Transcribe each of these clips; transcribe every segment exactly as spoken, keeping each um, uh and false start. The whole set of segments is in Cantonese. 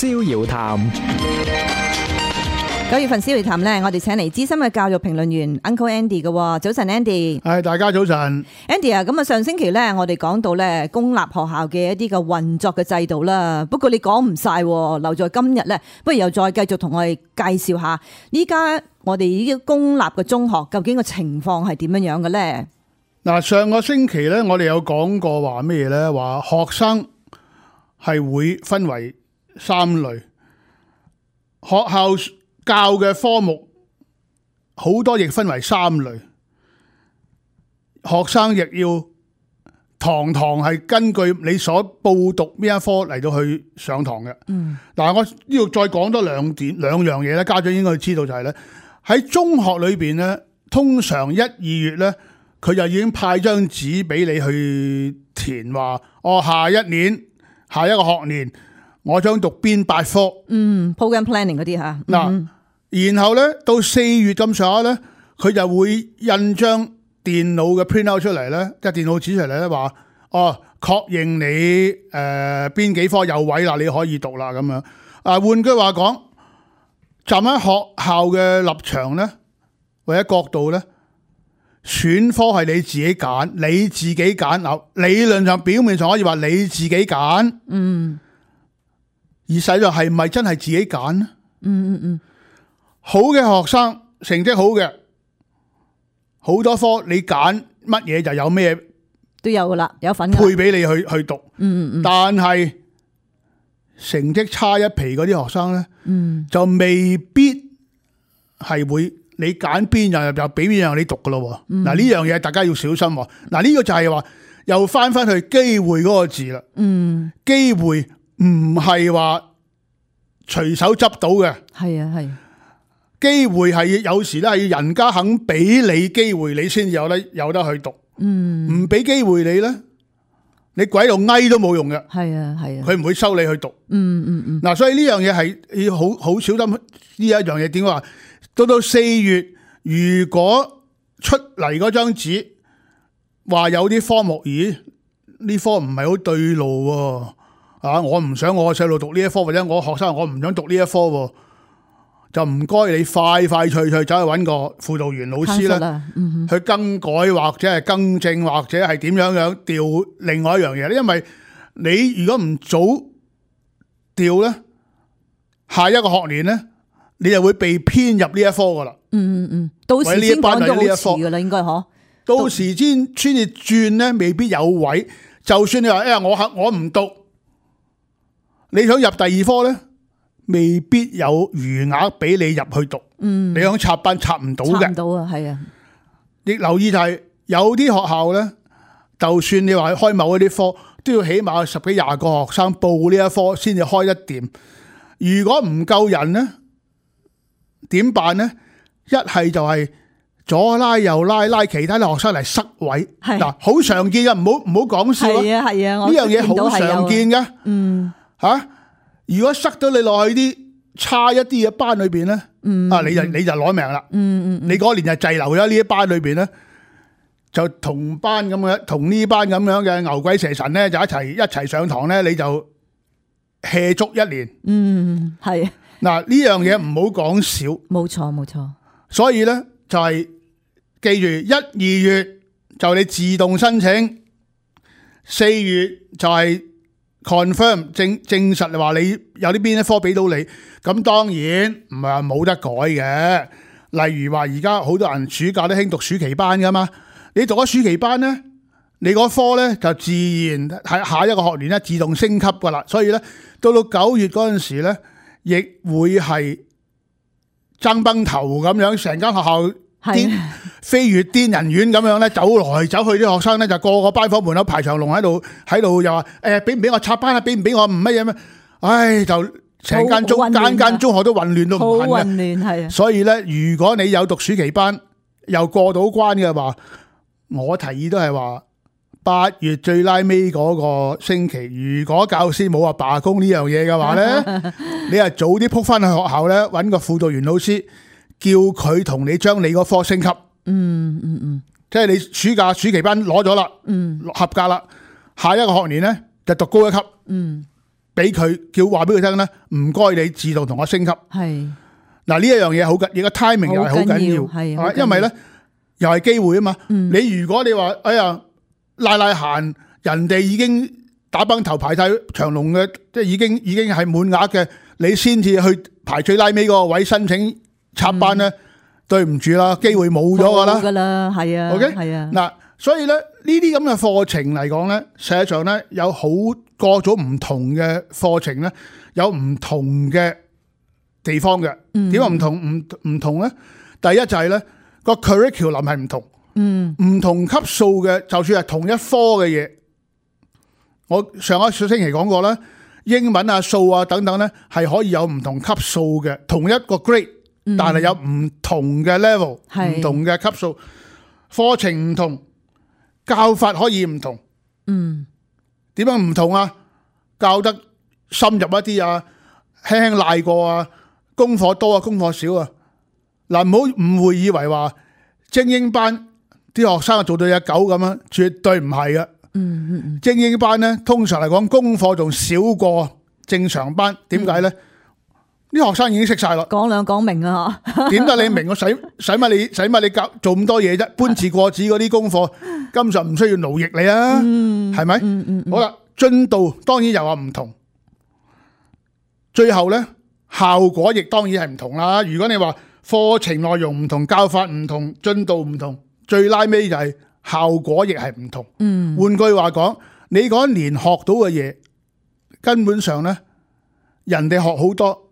逍遙談。九月份逍遙談呢，我哋請嚟資深嘅教育評論員 Uncle Andy 嘅。早晨 Andy。係，大家早晨。Andy 啊，咁啊上星期呢，我哋講到呢公立學校嘅一啲嘅運作嘅制度啦。不過你講唔晒，留在今日呢，不如又再繼續同我哋介紹下依家我哋呢啲公立嘅中學究竟個情況係點樣樣嘅呢？嗱，上個星期咧，我哋有講過話咩嘢咧？話學生係會分為三類，學校教嘅科目好多亦分為三類，學生亦要堂堂係根據你所報讀邊一科嚟到去上堂嘅。嗯，但係我呢度再講多兩點兩樣嘢咧，家長應該知道就係咧，喺中學裏邊咧，通常一二月咧，佢就已經派張紙俾你去填，話我下一年下一個學年我想讀邊八科。嗯 program planning 嗰啲吓。嗱、嗯，然後咧到四月咁上下咧，佢就會印張電腦嘅 print out 出嚟咧，即係電腦紙出嚟咧，話哦確認你誒邊、呃、幾科有位啦，你可以讀啦咁樣。啊，換句話講，站喺學校嘅立場咧，或者角度咧，選科係你自己揀，你自己揀。嗱，理論上表面上可以話你自己揀，嗯，而實際上係咪真係自己揀呢？嗯嗯嗯，好嘅學生成績好嘅，好多科你揀乜嘢就有咩都有噶啦，有份配俾你去去讀。嗯嗯嗯，但係成績差一皮嗰啲學生咧，嗯，就未必係會。你揀邊樣就俾邊樣你讀噶咯。嗱、嗯，呢樣嘢大家要小心。嗱，呢個就係話又翻翻去機會嗰個字啦。嗯，機會唔係話隨手執到嘅。係啊係。機會係有時咧係人家肯俾你機會，你先有得有得去讀。嗯，唔俾機會你咧，你鬼度翳都冇用嘅。係啊係啊，佢唔會收你去讀。嗯嗯嗯。嗱，所以呢樣嘢係要好好小心。呢一樣嘢點話？到到四月，如果出嚟嗰張紙話有啲科目，咦？呢科唔係好對路喎，啊！我唔想我細路讀呢一科，或者我學生我唔想讀呢一科喎，就唔該你快快脆脆走去揾個輔導員老師啦，嗯、去更改或者係更正或者係點樣樣調另外一樣嘢。因為你如果唔早調咧，下一個學年咧，你就會被編入呢一科噶啦。嗯嗯嗯，到時先講到好遲噶啦，應該嗬。到時先先至轉咧，未必有位。就算你話誒，我我唔讀，你想入第二科咧，未必有餘額俾你入去讀。嗯，你想插班插唔到嘅。插唔到啊，係啊。亦留意就係、是、有啲學校咧，就算你話開某一啲科，都要起碼十幾廿個學生報呢一科先至開得掂。如果唔夠人咧，點辦呢？一係就係左拉右拉，拉其他啲學生嚟塞位。嗱，好常見嘅，唔好唔好講笑。係啊係啊，呢樣嘢好常見嘅。嗯，吓、啊，如果塞到你落去啲差一啲嘅班裏邊咧，嗯、啊，你就你就攞命啦。嗯嗯，你嗰年就滯留咗呢一班裏邊咧，就同班咁嘅，同呢班咁樣嘅牛鬼蛇神咧，就一齊一齊上堂咧，你就 hea 足一年。嗯，係。嗱，呢樣嘢唔好講少，冇錯冇錯。所以咧就係、是、記住，一二月就你自動申請，四月就係 confirm 證證實話你有啲邊一科俾到你。咁當然唔係話冇得改嘅。例如話而家好多人暑假都興讀暑期班噶嘛，你讀咗暑期班咧，你嗰科咧就自然喺下一個學年咧自動升級噶啦。所以咧到到九月嗰陣時咧，亦會係爭崩頭咁樣，成間學校癲飛越癲人院咁樣咧，走來走去啲學生咧就個個班房門口排長龍喺度，喺度又話誒俾唔俾我插班啊？俾唔俾我唔乜嘢咩？唉，就成間中間間中學都混亂到唔行嘅。好混亂係啊！所以咧，如果你有讀暑期班又過到關嘅話，我提議都係話。八月最拉尾嗰個星期，如果教師冇話罷工呢樣嘢嘅話咧，你係早啲撲翻去學校咧，揾個輔導員老師，叫佢同你將你嗰科升級。嗯嗯嗯，即係你暑假暑期班攞咗啦，嗯，合格啦，下一個學年咧就讀高一級。嗯，俾佢叫話俾佢聽咧，唔該你自動同我升級。係嗱呢一樣嘢好緊，而個 timing 又係好緊要，係係因為咧又係機會啊嘛。嗯、你如果你話哎呀賴賴閒，人哋已經打崩頭排晒長龍嘅，即係已經已經係滿額嘅，你先至去排最拉尾嗰個位申請插班咧，嗯、對唔住啦，機會冇咗噶啦。冇噶啦，係啊。OK，係啊。嗱，所以咧呢啲咁嘅課程嚟講咧，實際上咧有好各種唔同嘅課程咧，有唔同嘅地方嘅。點解唔同唔唔同咧？第一就係咧個 curriculum 係唔同，嗯，唔同級數嘅，就算係同一科嘅嘢，我上一個星期講過啦，英文啊、數啊等等咧，係可以有唔同級數嘅，同一個 grade，嗯、但係有唔同嘅 level，唔同嘅級數，課程唔同，教法可以唔同，嗯，點樣唔同啊？教得深入一啲啊，輕輕賴過啊，功課多啊，功課少啊，嗱，唔好誤會以為話精英班啲學生做到隻狗咁樣，絕對唔係嘅。嗯嗯嗯，精英班咧，通常嚟講功課仲少過正常班，點解咧？啲、嗯、學生已經識晒咯，講兩講明啊，點解你明？我使使乜你使乜你教做咁多嘢啫？搬字過紙嗰啲功課，根本上唔需要勞役你啊，係咪？嗯嗯嗯，好啦，進度當然又話唔同，最後咧效果亦當然係唔同啦。如果你話課程內容唔同，教法唔同，進度唔同，最拉尾就係效果亦係唔同。嗯，換句話講，你嗰一年學到嘅嘢，根本上咧，人哋學好多，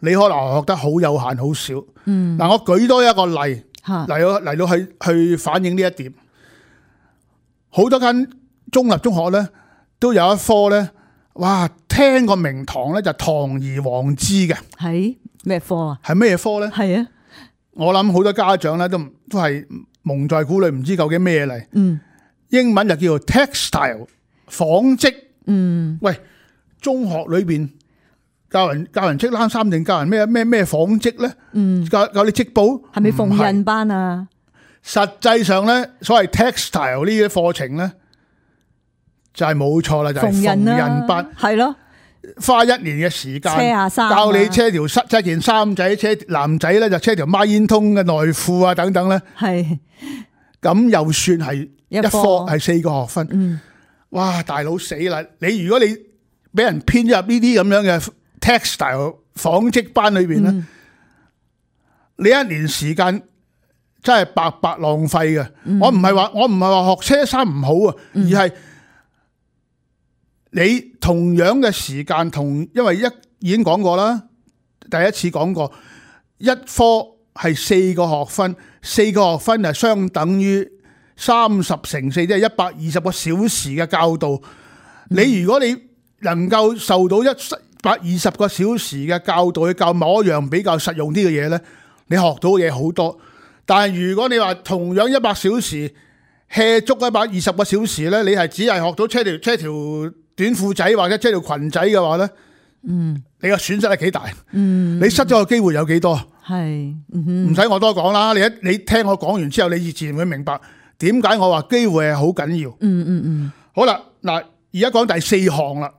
你可能學得好有限、好少。嗯，嗱，我舉多一個例嚟到嚟到去去反映呢一點。好多間中立中學咧，都有一科咧，哇，聽個名堂咧就堂而皇之嘅。係咩科啊？係咩科咧？係啊，我諗好多家長咧都都係蒙在鼓裏，唔知究竟咩嚟。嗯，英文就叫做 textile 紡織。嗯，喂，中學裏邊教人教人織冷衫定教人咩咩咩紡織咧？嗯，教教你織布係咪縫紉班啊？實際上咧，所謂 textile 呢啲課程咧，就係冇錯啦，就係縫紉班，係咯，花一年嘅時間，車下衫，教你車條塞，車件衫仔，車男仔咧就車條孖煙通嘅內褲啊等等咧，係，咁又算係一科係四個學分，嗯，哇，大佬死啦！你如果你俾人編入呢啲咁樣嘅 textile 紡織班裏邊咧，嗯、你一年時間。真係白白浪費嘅。嗯、我唔係話我唔係話學車衫唔好啊，而係你同樣嘅時間同，因為一已經講過啦，第一次講過，一科係四個學分，四個學分係相等於三十乘四，即係一百二十個小時嘅教導。嗯、你如果你能夠受到一百二十個小時嘅教導去教某一樣比較實用啲嘅嘢咧，你學到嘅嘢好多。但係如果你話同樣一百小時 hea 足一百二十個小時咧，你係只係學到車條車條短褲仔或者車條裙仔嘅話咧，嗯，你個損失係幾大？嗯，你失咗個機會有幾多？係，唔使我多講啦。你一你聽我講完之後，你自然會明白點解我話機會係好緊要。嗯嗯嗯。好啦，嗱，而家講第四項啦。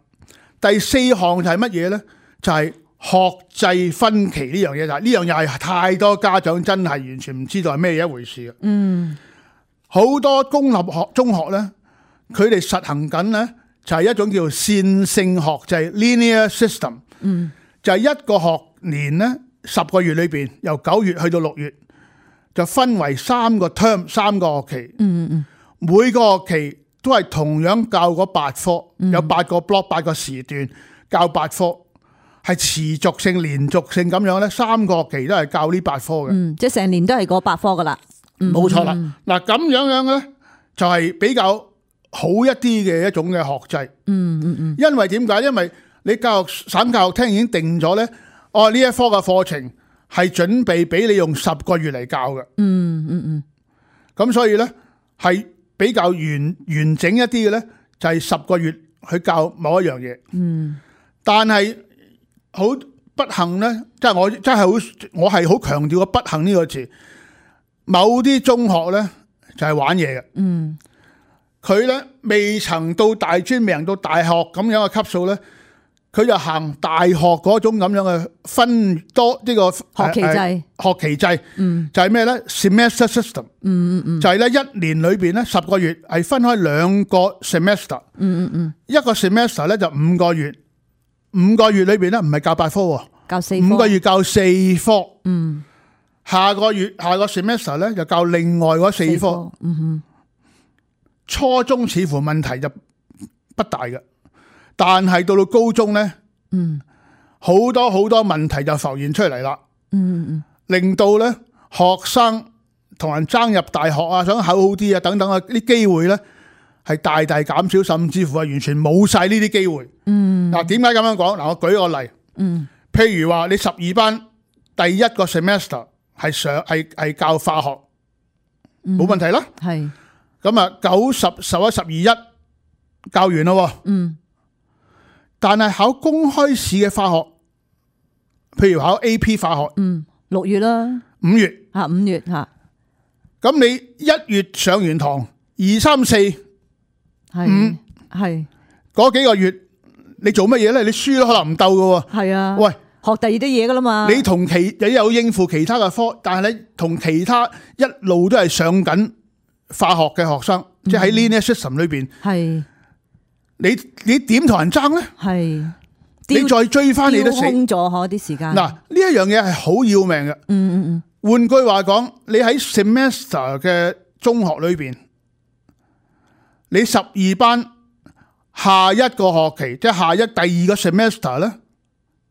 第四項就係乜嘢咧？就係、是。學制分歧呢樣嘢就係呢樣嘢係太多家長真係完全唔知道係咩一回事嘅。嗯，好多公立學中學咧，佢哋實行緊咧就係一種叫線性學制 （linear system）。嗯，就係一個學年咧十個月裏邊，由九月去到六月，就分為三個 term 三個學期。嗯嗯，每個學期都係同樣教嗰八科，有八個 block 八個時段教八科。係持續性、連續性咁樣咧，三個學期都係教呢八科嘅。嗯，即係成年都係嗰八科噶啦。冇錯啦。嗱咁樣樣咧，就係比較好一啲嘅一種嘅學制。嗯嗯嗯。因為點解？因為你教育省教育廳已經定咗咧，哦呢一科嘅課程係準備俾你用十個月嚟教嘅。嗯嗯嗯。咁所以咧係比較完完整一啲嘅咧，就係十個月去教某一樣嘢。嗯。但係好不幸咧，即係我真係好，我係好強調個不幸呢個詞。某啲中學咧就係玩嘢嘅，嗯，佢咧未曾到大專，未曾到大學咁樣嘅級數咧，佢就行大學嗰種咁樣嘅分多呢個學期制，呃、學期制，嗯，就係咩咧 ？semester system，嗯嗯嗯，就係咧一年裏邊咧十個月係分開兩個 semester，嗯嗯嗯，一個 semester 咧就五個月，五個月裏邊咧唔係教八科喎，教四科，五個月教四科，嗯，下個月下個 semester 咧就教另外嗰四科，四科嗯哼，初中似乎問題就不大嘅。但係到到高中咧，嗯，好多好多問題就浮現出嚟啦，嗯嗯，令到咧學生同人爭入大學啊，想考好啲啊，等等啊，啲機會咧係大大減少，甚至乎係完全冇晒呢啲機會。嗯，嗱，點解咁樣講？嗱，我舉個例，嗯，譬如話你十二班第一個 semester 係上係係教化學，冇問題啦。係，咁啊九十十一十二一教完咯。嗯。但係考公開試嘅化學，譬如考 A P 化學，嗯，六月啦，五月吓五月吓，咁你一月上完堂，二三四係五係嗰幾個月，你做乜嘢咧？你書都可能唔鬥噶。係啊，喂，學第二啲嘢噶啦嘛。你同其你有應付其他嘅科，但係你同其他一路都係上緊化學嘅學生，嗯、即係喺 linear system 裏邊。係。你你點同人爭咧？係，你再追翻你都死空咗嗬啲時間。嗱，呢一樣嘢係好要命嘅。嗯嗯嗯。換句話講，你喺 semester 嘅中學裏邊，你十二班下一個學期，即係下一第二個 semester 咧，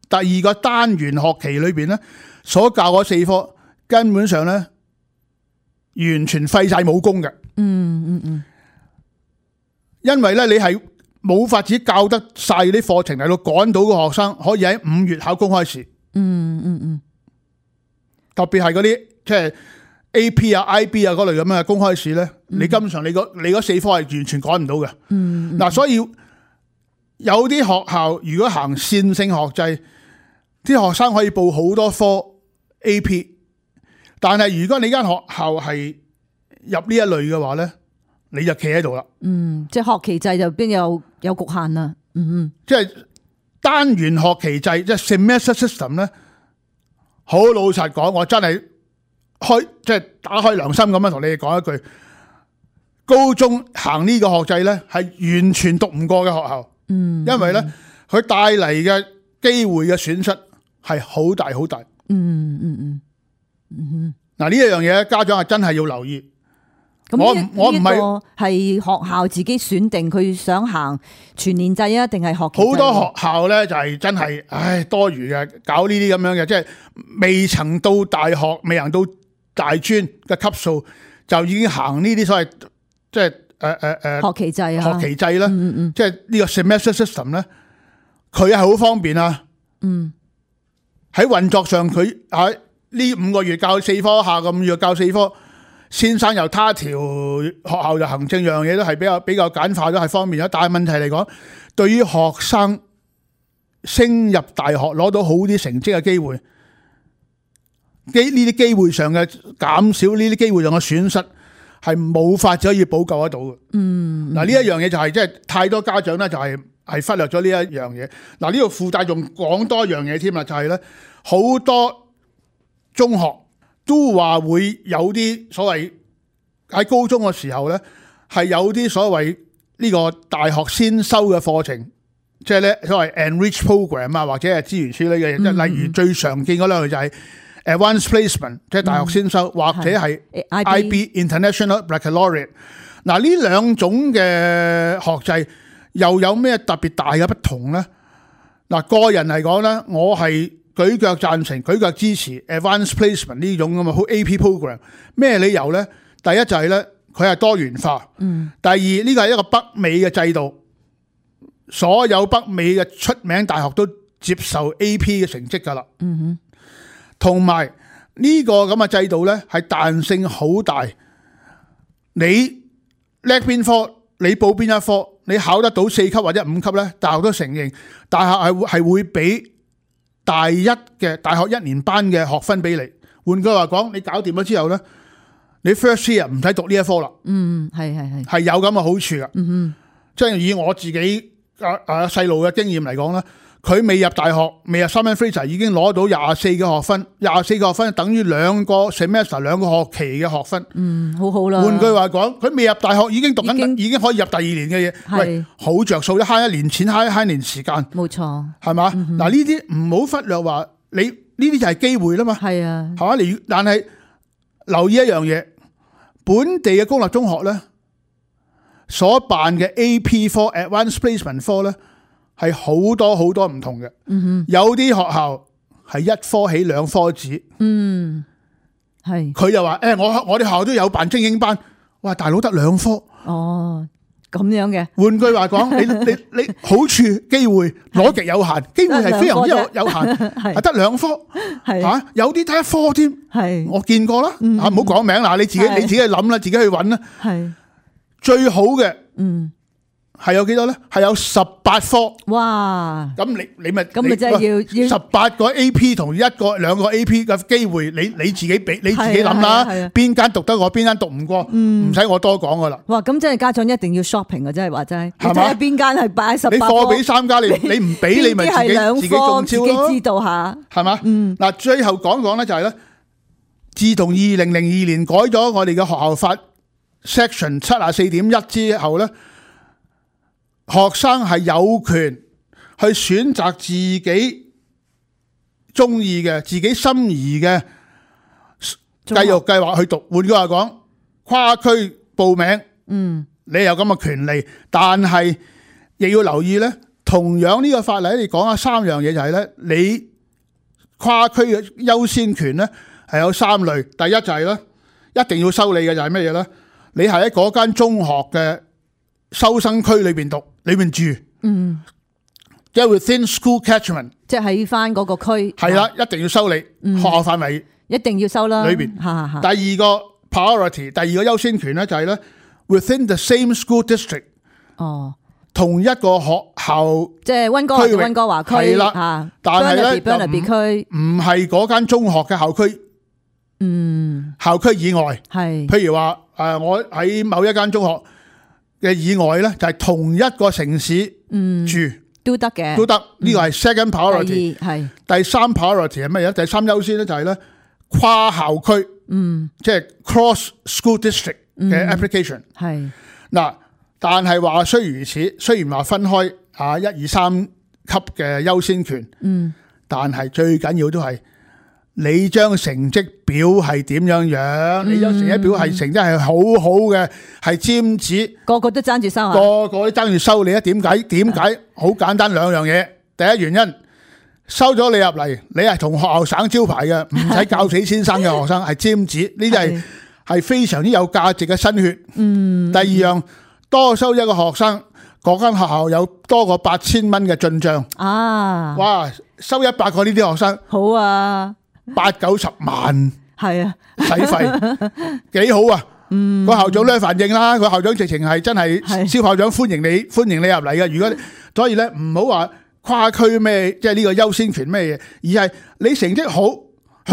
第二個單元學期裏邊咧，所教嗰四科根本上咧完全廢晒武功嘅。嗯嗯嗯。因為咧，你係冇法子教得晒啲課程嚟到趕到個學生可以喺五月考公開試。嗯嗯嗯。特別係嗰啲即係 A P 啊、I B 啊嗰類咁嘅公開試咧，嗯、你根本上你嗰你嗰四科係完全趕唔到嘅。嗯。嗱、嗯，所以有啲學校如果行線性學制，啲學生可以報好多科 A P， 但係如果你間學校係入呢一類嘅話咧，你就企喺度啦。嗯，即係學期制就邊有有局限啦。嗯嗯，即係單元學期制，即係 semester system 咧。好老實講，我真係開即係打開良心咁樣同你哋講一句，高中行呢個學制咧係完全讀唔過嘅學校。嗯，因為咧佢帶嚟嘅機會嘅損失係好大好大。嗯嗯嗯嗯，嗱呢一樣嘢，家長係真係要留意。咁我唔我唔係係學校自己選定佢想行全年制啊，定係學期制？好多學校咧就係真係唉多餘嘅，搞呢啲咁樣嘅，即係未曾到大學，未行到大專嘅級數，就已經行呢啲所謂即係誒誒誒學期制啊，學期制啦，嗯嗯即係呢個 semester system 咧，佢係好方便啊。嗯，喺運作上佢喺呢五個月教四科，下個五月教四科。先生又他條學校就行政樣嘢都係比較比較簡化咗，係方便咗。但係問題嚟講，對於學生升入大學攞到好啲成績嘅機會，機呢啲機會上嘅減少，呢啲機會上嘅損失係冇法子可以補救得到嘅。嗯，嗱呢一樣嘢就係即係太多家長咧就係係忽略咗呢一樣嘢。嗱呢度附帶仲講多一樣嘢添啦，就係咧好多中學。都話會有啲所謂喺高中嘅時候咧，係有啲所謂呢個大學先修嘅課程，即係咧所謂 enrich program 啊，或者係資源處理嘅嘢，即係、嗯、例如最常見嗰兩類就係 advanced placement，即係大學先修，嗯、或者係 I B International Baccalaureate。嗱呢兩種嘅學制又有咩特別大嘅不同咧？嗱個人嚟講咧，我係舉腳贊成，舉腳支持 advanced placement 呢種咁嘅好 A P program。咩理由咧？第一就係咧，佢係多元化。嗯。第二呢個係一個北美嘅制度，所有北美嘅出名大學都接受 A P 嘅成績㗎啦。嗯哼。同埋呢個咁嘅制度咧，係彈性好大。你叻邊科，你報邊一科，你考得到四級或者五級咧，大學都承認，大學係係會俾大一嘅大學一年班嘅學分俾你。換句話講，你搞掂咗之後咧，你 first year 唔使讀呢一科啦。嗯，係係係，係有咁嘅好處噶。嗯哼，即係以我自己啊啊細路嘅經驗嚟講咧，佢未入大學，未入 Simon Fraser 已經攞到廿四個學分，廿四個學分等於兩個 semester 兩個學期嘅學分。嗯，好好啦。換句話講，佢未入大學已經讀緊，已經，已經可以入第二年嘅嘢。喂，好着數，一慳一年錢，慳一慳年時間。冇錯，係嘛？嗱，呢啲唔好忽略話，你呢啲就係機會啦嘛。係啊，係嘛？你但係留意一樣嘢，本地嘅公立中學咧所辦嘅 A P 科 Advanced Placement 科咧。係好多好多唔同嘅，嗯、有啲學校係一科起兩科止，嗯，係佢又話誒，我我哋學校都有辦精英班，哇，大佬得兩科，哦，咁樣嘅。換句話講，你你你好處機會攞極有限，機會係非常之有有限，係得兩科，係吓、啊、有啲得一科添，係我見過啦，嗯、啊唔好講名啦，你自己你自己去諗啦，自己去揾啦，係最好嘅，嗯。係有幾多咧？係有十八科。哇！咁你你咪咁咪真係要要十八個 A P 同一個兩個 A P 嘅機會，你你自己俾你自己諗啦。邊間讀得過，邊間讀唔過，唔使我多講噶啦。哇！咁真係家長一定要 shopping 啊！真係話真係，你睇下邊間係擺十八科。你貨比三家，你你唔俾你咪自己自己中招咯。自己知道下係嘛？嗯。嗱，最後講講咧就係咧，自從二零零二年改咗我哋嘅學校法 section 七啊四點一之後咧。學生係有權去選擇自己中意嘅、自己心儀嘅教育計劃去讀。換句話講，跨區報名，嗯，你有咁嘅權利，但係亦要留意咧。同樣呢個法例，你講下三樣嘢就係咧，你跨區嘅優先權咧係有三類。第一就係咧，一定要收你嘅就係咩嘢咧？你係喺嗰間中學嘅收生區裏邊讀。裏面住，嗯，即係 within school catchment， 即係喺翻嗰個區，係啦，一定要收你、嗯、學校範圍，一定要收啦。裏邊，第二個 priority， 第二個優先權咧就係咧 within the same school district， 哦，同一個學校，即係溫哥華嘅溫哥華區，係啦，但係咧就唔係嗰間中學嘅校區，嗯，校區以外，係，譬如話誒，我喺某一間中學嘅以外咧，就係同一個城市住都得嘅，都得。呢個係 second priority。係第三 priority 係乜嘢？第三優先咧就係咧跨校區，嗯，即係 cross school district 嘅 application。係嗱，但係話雖如此，雖然話分開啊一二三級嘅優先權，嗯，但係最緊要都係你張成績表係點樣樣？嗯、你張成績表係成績係好好嘅，係尖子，個個都爭住收啊！個個都爭住收你啊！點解？點解？好簡單兩樣嘢。第一原因，收咗你入嚟，你係同學校省招牌嘅，唔使教死先生嘅學生係尖子，呢啲係係非常之有價值嘅新血。嗯。第二樣，多收一個學生，嗰間學校有多過八千蚊嘅進賬啊！哇，收一百個呢啲學生，好啊！八九十萬係啊，使費幾好啊！嗯，個校長咧反應啦，個校長直情係真係蕭校長歡迎你，歡迎你入嚟嘅。如果所以咧唔好話跨區咩，即係呢個優先權咩嘢，而係你成績好，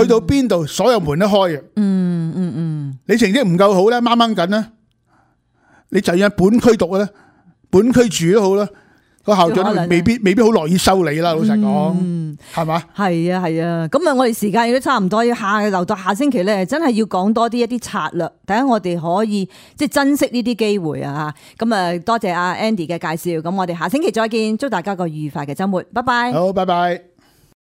去到邊度所有門都開嘅。嗯嗯嗯，你成績唔夠好咧，掹掹緊咧，你就要喺本區讀咧，本區住都好啦。個校長未必未必好樂意收你啦，老實講，係嘛？係啊係啊，咁啊，我哋時間亦都差唔多，要下留到下星期咧，真係要講多啲一啲策略，第一我哋可以即係珍惜呢啲機會啊！咁啊，多謝阿 Andy 嘅介紹，咁我哋下星期再見，祝大家個愉快嘅週末，拜拜。好，拜拜。